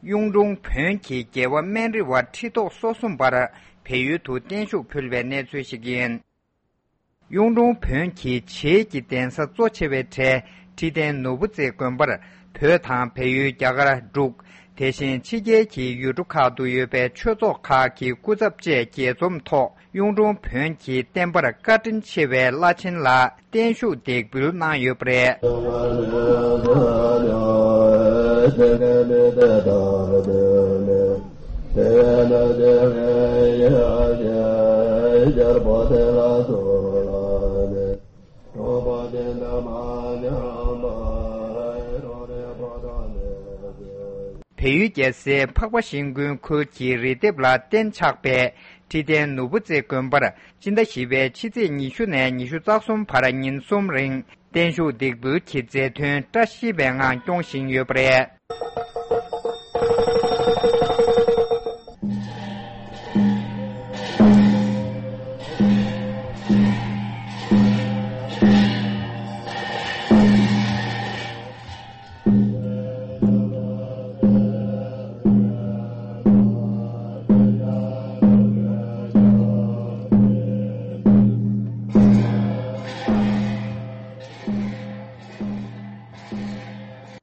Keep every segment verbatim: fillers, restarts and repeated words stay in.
གཡུང་དྲུང་བོན་གྱི་རྒྱལ་བ་སྨན་རི་བ་ཁྲི་ཐོག་སོ་གསུམ་པར་བལ་ཡུལ་དུ་བརྟན་བཞུགས་ཕུལ་བའི་གནས་ཚུལ་ཞིག་ཡིན། གཡུང་དྲུང་བོན་གྱི་བྱེས་ཀྱི་གདན་ས་གཙོ་ཆེ་བའི་གྲས་ཁྲི་བརྟན་ནོར་བུ་རྩེ་དགོན་པར་བོད་དང་བལ་ཡུལ། རྒྱ་གར། འབྲུག་དེ་བཞིན་ཕྱི་རྒྱལ་གྱི་ཡུལ་གྲུ་ཁག་ཏུ་ཡོད་པའི་ཆོས་ཚོགས་ཁག་གི་སྐུ་ཚབ་བཅས་རྒྱས་འཛོམས་ཐོག་གཡུང་དྲུང་བོན་གྱི་བསྟན་པར་བཀའ་དྲིན་ཆེ་བའི་བླ་ཆེན་ལ་བརྟན་བཞུགས་འདེགས་འབུལ་གནང་ཡོད་པ་རེད། བལ་ཡུལ་རྒྱལ་སའི་འཕགས་པ་ཤིང་ཀུན་ཁུལ་གྱི་རི་ལྡེབས་ལ་གཏན་ཆགས་པའི་ཁྲི་བརྟན་ནོར་བུ་རྩེ་དགོན་པར་སྤྱི་ཟླ་བཞི་པའི་ཕྱི་ཚེས་ཉི་ཤུ་ནས་ཉི་ཤུ་རྩ་གསུམ་བར་ཉིན་གསུམ་རིང་བརྟན་བཞུགས་འདེགས་འབུལ་གྱི་མཛད་འཐུས་བཀྲ་ཤིས་པའི་ངང་སྐྱོང་བཞིན་ཡོད་པ་རེད།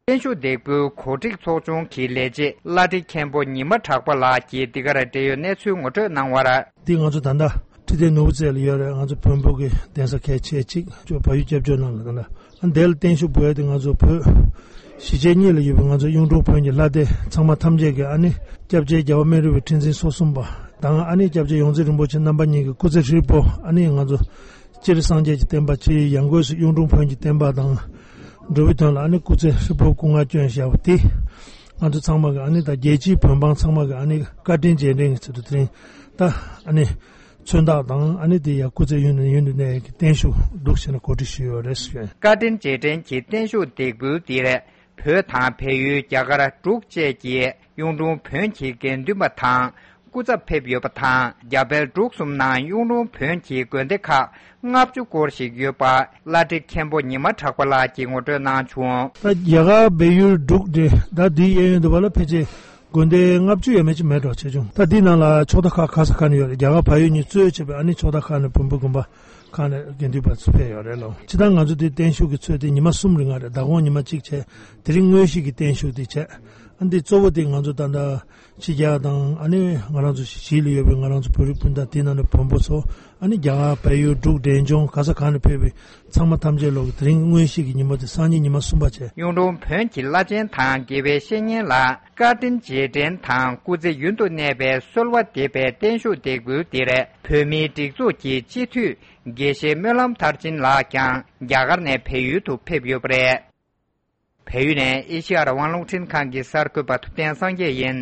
བརྟན་བཞུགས་འདེགས་འབུལ་གོ་སྒྲིག་ཚོགས་ཆུང་གི་ལས་བྱེད་བླ་བྲེ་མཁན་པོ་ཉི་མ་གྲགས་པ་ལགས་ཀྱིས་འདི་གར་འབྲེལ་ཡོད་གནས་ཚུལ་ངོ་སྤྲོད་གནང་བར། འདི་ང་ཚོ་ད་ལྟ་ཁྲི་བརྟན་ནོར་བུ་རྩེ་ལ་ཡོད་རེད། ང་ཚོ་བོན་པོ་གི་གདན་ས་གལ་ཆེ་གཅིག་ཅོ་བལ་ཡུལ་སྐྱབས་བཅོལ་ནང་ལ་ད་ལྟ་ཨ་འདི་ལ་བརྟན་བཞུགས་འབུལ་ཡ་དེ་ང་ཚོ་བོད་གཞིས་བྱེས་གཉིས་ལ་ཡོད་པའི་ང་ཚོ་གཡུང་དྲུང་བོན་གྱི་ལྷ་སྡེ་ཚང་མ་ཐམས་ཅད་ཀྱི་ཨ་ནི་སྐྱབས་རྗེ་རྒྱལ་བ་སྨན་རི་བའི་ཁྲི་འཛིན་སོ་གསུམ་པ་དང་ཨ་ནི་སྐྱབས་རྗེ་ཡོངས་འཛིན་རིན་པོ་ཆེ་རྣམ་པ་གཉིས་ཀྱི་སྐུ་ཚེ་ཧྲིལ་པོ་ཨ་ནི་ང་ཚོ་སྤྱིར་སངས་རྒྱས་ཀྱི་བསྟན་པ་སྤྱིའི་ཡང་སྒོས་སུ་གཡུང་དྲུང་བོན་གྱི་བསྟན་པ་དང་འགྲོ་བའི་དོན་ལ་ཨ་ནི་སྐུ་ཚེ་ཧྲིལ་པོ་སྐུ་ངལ་བསྐྱོན་བཞག་པ་དེ་ང་ཚོ་ཚང་མ་གི་ཨ་ནི་ད་རྒྱལ་སྤྱིའི་བོན་འབངས་ཚང་མ་གི་ཨ་ནི་བཀའ་དྲིན་རྗེས་དྲན་གྱི་ཚུལ་དུ་དེ་རིང་ད་ཨ་ནི་མཚོན་རྟགས་དང་ཨ་ནི་དེ་ཡང་སྐུ་ཚེ་ཡུན་ནས་ཡུན་དུ་གནས་ཀྱི་བརྟན་བཞུགས་འདུག་ཟེར་ནས་གོ་སྒྲིག་ཞུས་ཡོད་རེད་ཞུས། བཀའ་དྲིན་རྗེས་དྲན་གྱི་བརྟན་བཞུགས་འདེགས་འབུལ་འདིར་བོད་དང་བལ་ཡུལ། རྒྱ་གར། འབྲུག་བཅས་ཀྱི་གཡུང་དྲུང་བོན་གྱི་དགེ་འདུན་པ་དང་སྐུ་ཚབ་ཕེབས་ཡོད་པ་དང་། རྒྱ་བལ་འབྲུག་གསུམ་ནང་གཡུང་དྲུང་བོན་གྱི་དགོན་སྡེ་ཁག་ལྔ་བཅུ་སྐོར་ཞིག་ཡོད་པ་བླ་བྲེ་མཁན་པོ་ཉི་མ་གྲགས་པ་ལགས་ཀྱིས་ངོ་སྤྲོད་གནང་བྱུང་། ད་རྒྱ་གར་བལ་ཡུལ་འབྲུག་འདི་ད་འདིའི་གཡས་གཡོན་དུ་བ་ལ་ཕལ་ཆེར་དགོན་སྡེ་ལྔ་བཅུ་ཡས་མས་ཅིག་མེད་འགྲོ་ཆེ་ཆུང་། ད་འདི་ནང་ལ་ཕྱོགས་མཐའ་ཁག་ག་ས་ག་ནས་ཡོད་རེད། རྒྱ་གར་བལ་ཡུལ་གཉིས་གཙོས་བྱས་པའི་ཨ་ནི་ཕྱོགས་མཐའ་ཁག་ནས་བོན་པོ་དགོན་པ་ཁག་ནས་དགེ་འདུན་པ་ཚོ་ཕེབས་ཡོད་རེད་ལོ། ཇི་ལྟར་ང་ཚོ་འདི་བརྟན་བཞུགས་ཀྱི་ཚོད་དེ་ཉི་མ་གསུམ་རིང་ང་རེད། ཟླ་གོང་ཉི་མ་གཅིག་བྱས། དེ་རིང་དངོས་གཞི་གི་བརྟན་བཞུགས་དེ་བྱས། ཨ་འདི་གཙོ་བོ་དེ་ང་ཚོ་ད་ལྟ་ཕྱི་རྒྱལ་དང་ཨ་ནི་ང་རང་ཚོ་གཞིས་ལ་ཡོད་པའི་ང་རང་ཚོ་བོད་རིགས་སྤུན་ཟླ་དེ་ནང་ནས་བོན་པོ་ཚོ་ཨ་ནི་རྒྱ་གར་བལ་ཡུལ་འབྲུག་འབྲས་ལྗོངས་ག་ས་ག་ནས་ཕེབས་པའི་ཚང་མ་ཐམས་ཅད་ལོག་གི་དེ་རིང་དངོས་གཞི་གི་ཉིན་མོ་དེ་སང་ཉིན་ཉི་མ་གསུམ་པ་བྱས། གཡུང་དྲུང་བོན་གྱི་བླ་ཆེན་དང་དགེ་བའི་བཤེས་གཉེན་ལ་བཀའ་དྲིན་རྗེས་དྲན་དང་སྐུ་ཚེ་ཡུན་དུ་གནས་པའི་གསོལ་བ་འདེབས་པའི་བརྟན་བཞུགས་འདེགས་འབུལ་འདིར་བོད་མིའི་སྒྲིག་འཛུགས་ཀྱི་སྤྱི་འཐུས་དགེ་བཤེས་སྨོན་ལམ་མཐར་ཕྱིན་ལགས་ཀྱང་རྒྱ་གར་ནས་བལ་ཡུལ་དུ་ཕེབས་ཡོད་པ་རེད། བལ་ཡུལ་ནས་ཨེ་ཤེ་ཡ་རང་དབང་རླུང་འཕྲིན་ཁང་གི་གསར་འགོད་པ་ཐུབ་བསྟན་སངས་རྒྱས་ཡིན།